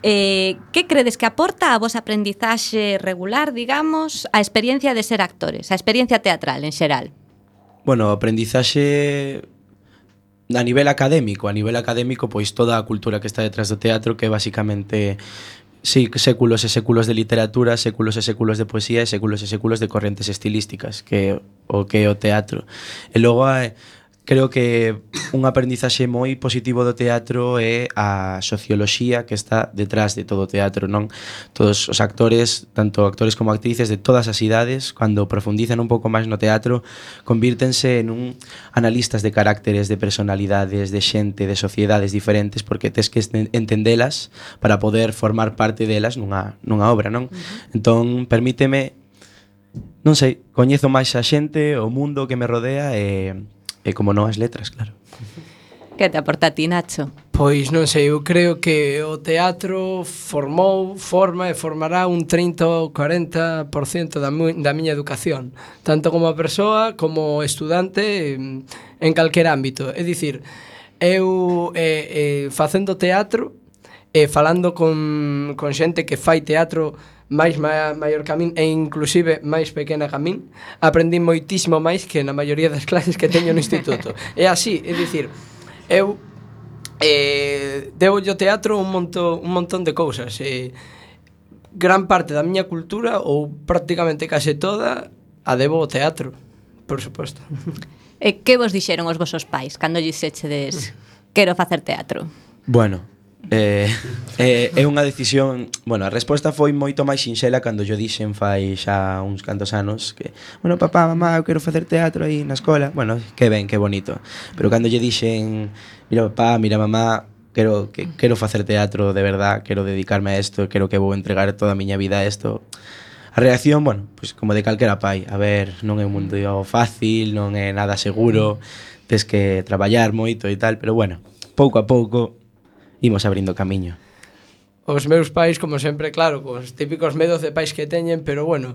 Eh, que credes que aporta a vosa aprendizaxe regular, digamos, a experiencia de ser actores, a experiencia teatral en xeral? Bueno, o aprendizaxe a nivel académico, a nivel académico, pois toda a cultura que está detrás do teatro, que é basicamente sí, séculos e séculos de literatura, séculos e séculos de poesía e séculos e séculos de correntes estilísticas, que é o que é o teatro. E logo hai creo que un aprendizaxe moi positivo do teatro é a socioloxía que está detrás de todo o teatro, non? Todos os actores, tanto actores como actrices de todas as idades, cando profundizan un pouco máis no teatro, convírtense en un analistas de carácteres, de personalidades, de xente, de sociedades diferentes, porque tes que entendelas para poder formar parte delas nunha, nunha obra, non? Uh-huh. Entón, permíteme, non sei, coñezo máis a xente, o mundo que me rodea e... E como non as letras, claro. Que te aporta a ti, Nacho? Pois non sei, eu creo que o teatro formou, forma e formará un trinta ou cuarenta por cento da, mu- da miña educación, tanto como persoa como estudante en, en calquer ámbito. É dicir, eu eh, eh, facendo teatro e eh, falando con, con xente que fai teatro máis ma, maior que a min e inclusive máis pequena que a min, aprendí moitísimo máis que na maioría das clases que teño no instituto. É así, é dicir, eu eh, debo o teatro un montón, un montón de cousas. Eh, gran parte da miña cultura, ou prácticamente case toda, a debo ao teatro, por suposto. E que vos dixeron os vosos pais cando lles echedes quero facer teatro? Bueno, Eh, eh, é unha decisión. Bueno, a resposta foi moito máis sinxela cando yo dixen fai xa uns cantos anos que, bueno, papá, mamá, eu quero facer teatro aí na escola. Bueno, que ben, que bonito. Pero cando lle dixen, mira papá, mira mamá, quero, que, quero facer teatro de verdad, quero dedicarme a isto, quero que vou entregar toda a miña vida a isto, a reacción, bueno, pues como de calquera pai. A ver, non é un mundo fácil, non é nada seguro, tes que traballar moito e tal, pero bueno, pouco a pouco imos abrindo camiño. Os meus pais, como sempre, claro, cos típicos medos de pais que teñen, pero bueno,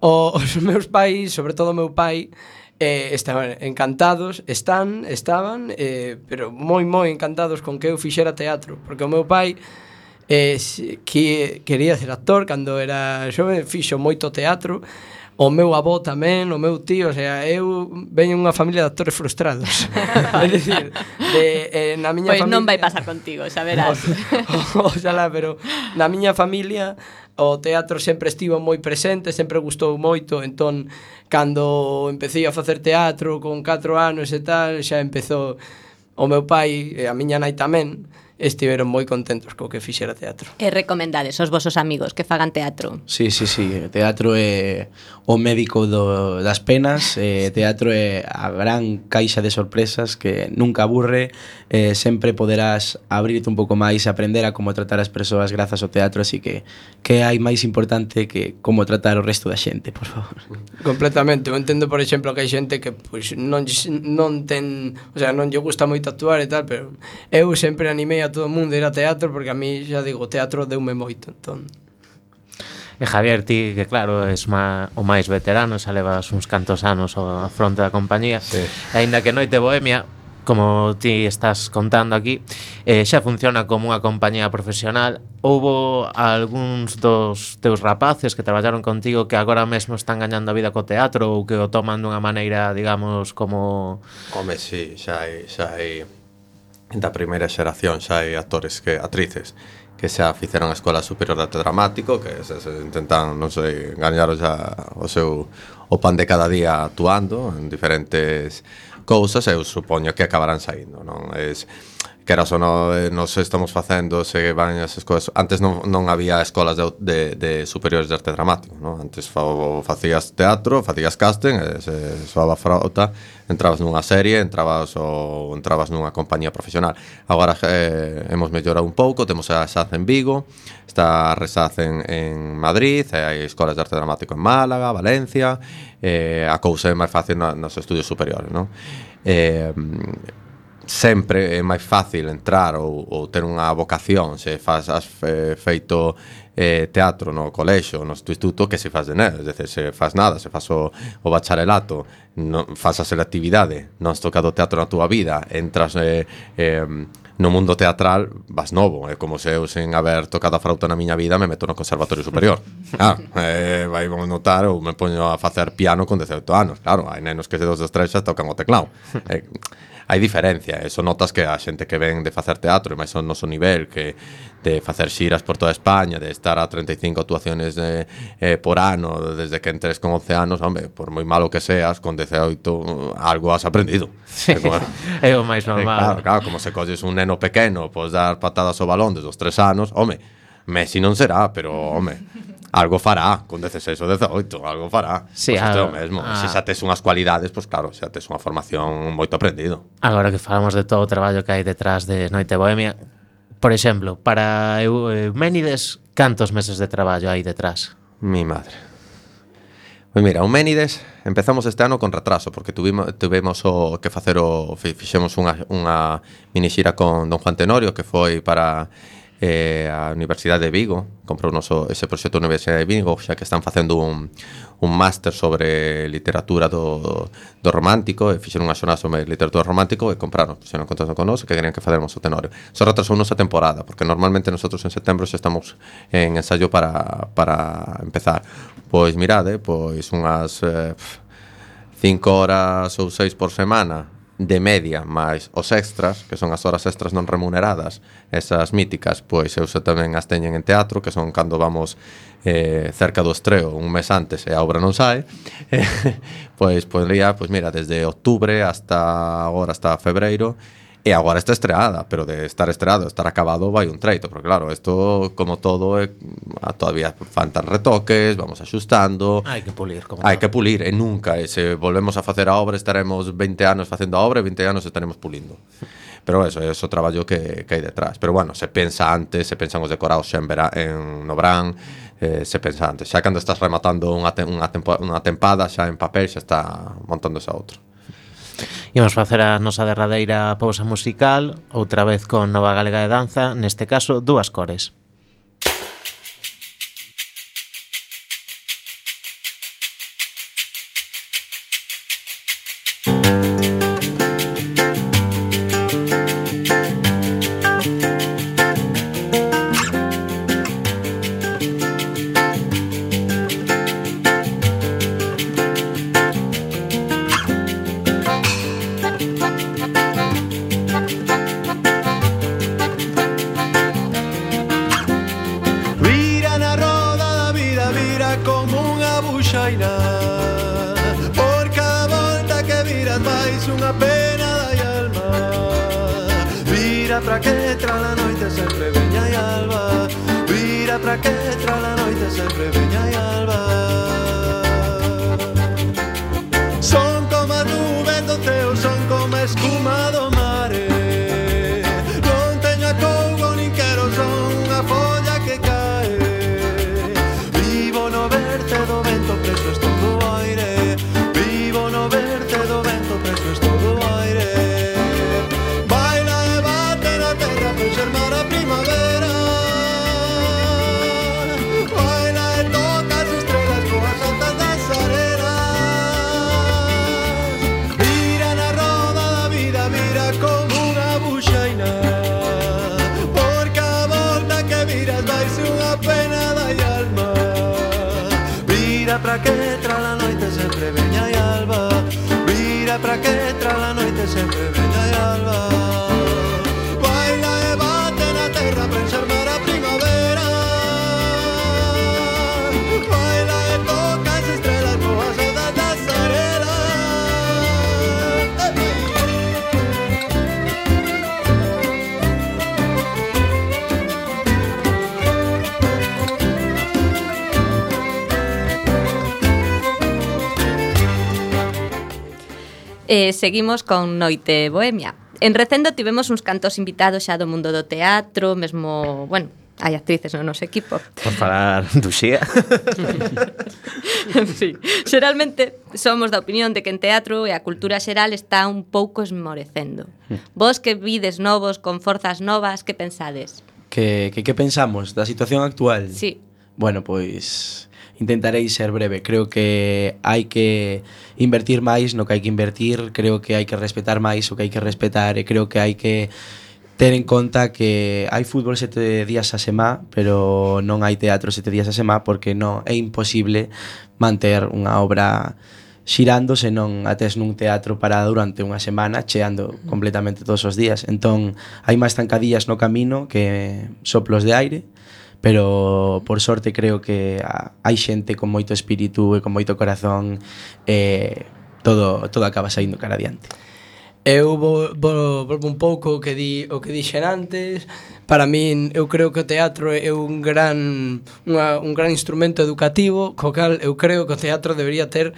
o, os meus pais, sobre todo o meu pai, eh, estaban encantados, están, estaban, eh, pero moi, moi encantados con que eu fixera teatro, porque o meu pai eh, que quería ser actor cando era xove, fixo moito teatro. O meu avó tamén, o meu tío, o sea, eu veño unha familia de actores frustrados. É dicir, de, eh, na miña pois familia... non vai pasar contigo, xa verás. Oxalá, pero na miña familia o teatro sempre estivo moi presente, sempre gustou moito, entón, cando empecé a facer teatro con catro anos e tal, xa empezou o meu pai e a miña nai tamén, estiveron moi contentos co que fixera teatro. E recomendades aos vosos amigos que fagan teatro? Sí, sí, sí, o teatro é o médico do, das penas, eh, teatro é a gran caixa de sorpresas que nunca aburre, eh, sempre poderás abrirte un pouco máis, aprender a como tratar as persoas grazas ao teatro, así que que hai máis importante que como tratar o resto da xente, por favor. Completamente, eu entendo, por exemplo, que hai xente que pois, non, non ten, o sea, non lle gusta moito actuar e tal, pero eu sempre animei a todo o mundo ir a teatro porque a mí, xa digo, o teatro deume moito, entón. E Javier, ti, que claro, es ma, o máis veterano, xa levas uns cantos anos á fronte da compañía, sí. E aínda que Noite Bohemia como ti estás contando aquí, eh, xa funciona como unha compañía profesional. Houbo algúns dos teus rapaces que traballaron contigo que agora mesmo están gañando a vida co teatro ou que o toman dunha maneira, digamos, como... Home, sí, xa hai, xa hai da primeira xeración, xa hai actores que actrices que xa fixeron a Escola Superior de Arte Dramático, que se, se intentan, non sei, gañar xa o seu o pan de cada día actuando en diferentes cousas, eu supoño que acabarán saindo, non? Es que era só no, nos estamos facendo se van as escolas, antes non, non había escolas de, de, de superiores de arte dramático, non? Antes fa, facías teatro, facías casting, e se soaba frauta, entrabas nunha serie, entrabas ou entrabas nunha compañía profesional. Agora eh, hemos mellorado un pouco, temos a Resaz en Vigo, está a Resaz en, en Madrid, e hai escolas de arte dramático en Málaga, Valencia, eh, a cousa é máis fácil na, nos estudios superiores, non? Eh, sempre é máis fácil entrar ou, ou ter unha vocación se faz, has fe, feito eh, teatro no colexo, no instituto, que se faz de nada, é dicir, se faz nada, se faz o, o bacharelato, non, faz a selectividade, non has tocado teatro na túa vida, entras eh, eh, no mundo teatral, vas novo, é como se eu sen haber tocado a frauta na miña vida me meto no conservatorio superior. Ah, eh, vai vamos notar, ou me poño a facer piano con dezaoito anos, claro, hai nenos que de dos destrezas tocan o teclado. Eh, hai diferencia, eso notas que a xente que ven de facer teatro, e máis ao noso nivel, que de facer xiras por toda España, de estar a treinta e cinco actuaciones de, eh, por ano, desde que entres con once anos, hombre, por moi malo que seas, con dezaoito algo has aprendido. Sí, é o máis normal. Claro, claro, como se colles un neno pequeno, podes dar patadas ao balón desde os tres anos, home, Messi non será, pero, home, algo fará, con dezaseis ou dezaoito, algo fará. Sí, pois isto é o a, mesmo. a... Se xa tes unhas cualidades, pois claro, xa tes unha formación moito aprendido. Agora que falamos de todo o traballo que hai detrás de Noite Bohemia, por exemplo, para Euménides, cantos meses de traballo hai detrás? Mi madre. Pois mira, Euménides empezamos este ano con retraso, porque tuvimos, tuvimos o que facer o... Fixemos unha, unha mini xira con Don Juan Tenorio, que foi para... Eh, a Universidade de Vigo, comprou noso ese proxecto da Universidade de Vigo, xa que están facendo un, un máster sobre literatura do, do romántico, e fixeron unha xornada sobre literatura romántico e compraron, fixeron contacto con nós, que querían que facéramos o Tenorio. Só retrasounos a temporada, porque normalmente nosotros en setembro xa estamos en ensayo para, para empezar. Pois mirade, pois unhas eh, cinco horas ou seis por semana de media, máis os extras, que son as horas extras non remuneradas, esas míticas, pois eu xa tamén as teñen en teatro, que son cando vamos eh, cerca do estreo, un mes antes, e a obra non sae, eh, pois podría, pois mira, desde outubro hasta agora, hasta febreiro, e agora está estreada, pero de estar estreado, estar acabado, vai un treito, porque claro, isto, como todo, é, todavía faltan retoques, vamos axustando. Hai que pulir, como Hai todo. que pulir, e nunca, e se volvemos a facer a obra, estaremos veinte anos facendo a obra, e veinte anos estaremos pulindo. Pero eso, é o traballo que, que hai detrás. Pero bueno, se pensa antes, se pensan os decorados xa en, vera, en no verán, eh, se pensa antes. Xa cando estás rematando unha, te, unha, tempo, unha tempada, xa en papel, xa está montándose a outro. Imos facer a nosa derradeira pausa musical, outra vez con Nova Galega de Danza, neste caso, Dúas Cores. Primavera, baila e toca pra que tra la noite sempre veña e alba. Vira pra que tra la noite sempre veña e alba. Baila e bate na terra pra enxermar a primavera. Baila e toca as estrelas coas ondas das arenas. Eh, seguimos con Noite Bohemia. En Recendo tivemos uns cantos invitados xa do mundo do teatro, mesmo, bueno, hai actrices no noso equipo. Por falar do Xía. Sí. Xeralmente somos da opinión de que en teatro e a cultura xeral está un pouco esmorecendo. Vos que vides novos, con forzas novas, que pensades? Que, que, que pensamos da situación actual? Sí. Bueno, pois intentarei ser breve. Creo que hai que invertir máis no que hai que invertir, creo que hai que respetar máis o que hai que respetar e creo que hai que ter en conta que hai fútbol sete días a semá, pero non hai teatro sete días a semá porque non é imposible manter unha obra xirando se non a tes nun teatro parada durante unha semana cheando completamente todos os días. Entón, hai máis zancadillas no camino que soplos de aire, pero por sorte creo que hai xente con moito espírito e con moito corazón e todo, todo acaba saindo cara adiante. Eu vou, vou, volvo un pouco o que di, o que dixen antes. Para min, eu creo que o teatro é un gran, unha, un gran instrumento educativo, co cal eu creo que o teatro debería ter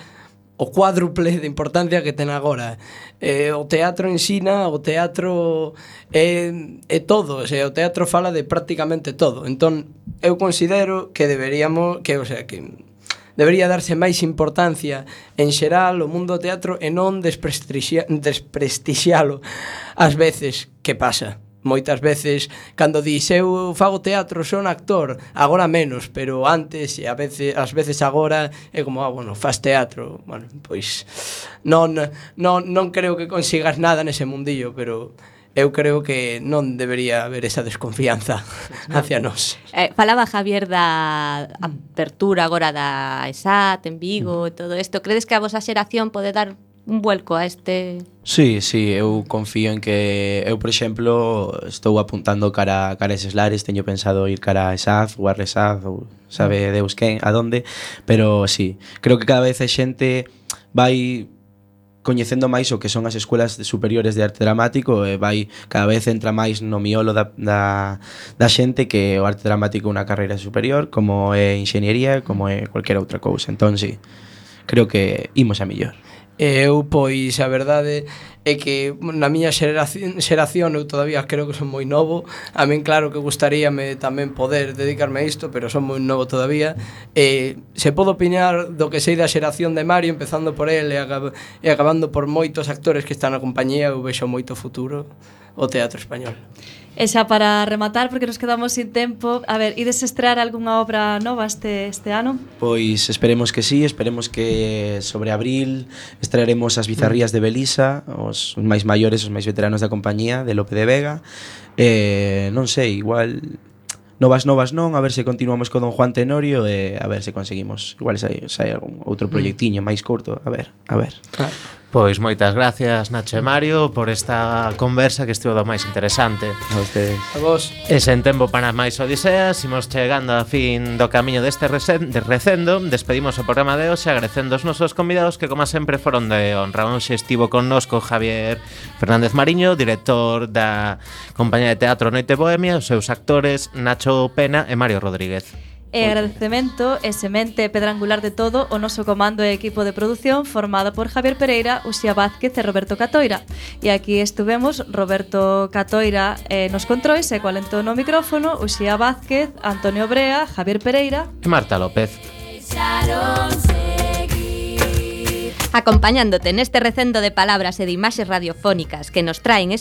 o cuádruple de importancia que ten agora. Eh, o teatro ensina, o teatro é, é todo, o sea, o teatro fala de prácticamente todo. Entón, eu considero que deberíamos, que, o sea, que debería darse máis importancia en xeral o mundo do teatro e non desprestixia, desprestixialo ás veces. Que pasa? Moitas veces, cando dis eu fago teatro, son actor, agora menos, pero antes, e a veces, ás veces agora, é como, ah, bueno, faz teatro. Bueno, pois non, non, non creo que consigas nada nese mundillo, pero eu creo que non debería haber esa desconfianza hacia nós. Eh, falaba Javier da apertura agora da ESAT en Vigo e todo isto. Credes que a vosa xeración pode dar un vuelco a este... Sí, sí, eu confío en que eu, por exemplo, estou apuntando cara, cara a eses lares, teño pensado ir cara a ESAD ou a RESAD ou sabe Deus quen, a donde, pero sí, creo que cada vez a xente vai coñecendo máis o que son as escuelas superiores de arte dramático e vai cada vez entra máis no miolo da, da, da xente que o arte dramático é unha carreira superior, como é enxeñería, como é cualquier outra cousa. Entón, sí, creo que imos a millor. Eu, pois, a verdade é que na miña xeración, xeración eu todavía creo que son moi novo. A min claro que gustaríame tamén poder dedicarme a isto, pero son moi novo todavía. E se podo opinar do que sei da xeración de Mario, empezando por el e, acab e acabando por moitos actores que están na compañía, eu vexo moito futuro o teatro español. E xa para rematar, porque nos quedamos sin tempo, a ver, ides estrear algunha obra nova este, este ano? Pois esperemos que sí, esperemos que sobre abril estrearemos As bizarrías de Belisa, os máis maiores, os máis veteranos da compañía, de Lope de Vega. Eh, non sei, igual novas novas non, a ver se continuamos con Don Juan Tenorio e a ver se conseguimos, igual sai, sai algún outro proxectiño máis curto, a ver, a ver. Claro. Pois moitas gracias, Nacho e Mario, por esta conversa que estivo do máis interesante. A ustedes. A vos. E sen tempo para máis odiseas, imos chegando a fin do camiño deste de Recendo. Despedimos o programa de hoxe agradecendo os nosos convidados que, como sempre, foron de honra. Hoxe estivo connosco Javier Fernández Mariño, director da compañía de teatro Noite Bohemia, os seus actores Nacho Pena e Mario Rodríguez. E agradecemento e semente pedra angular de todo o noso comando e equipo de produción formado por Javier Pereira, Uxía Vázquez e Roberto Catoira. E aquí estuvemos Roberto Catoira eh, nos controis e coalento no micrófono, Uxía Vázquez, Antonio Brea, Javier Pereira e Marta López. Acompañándote neste recendo de palabras e de imaxes radiofónicas que nos traen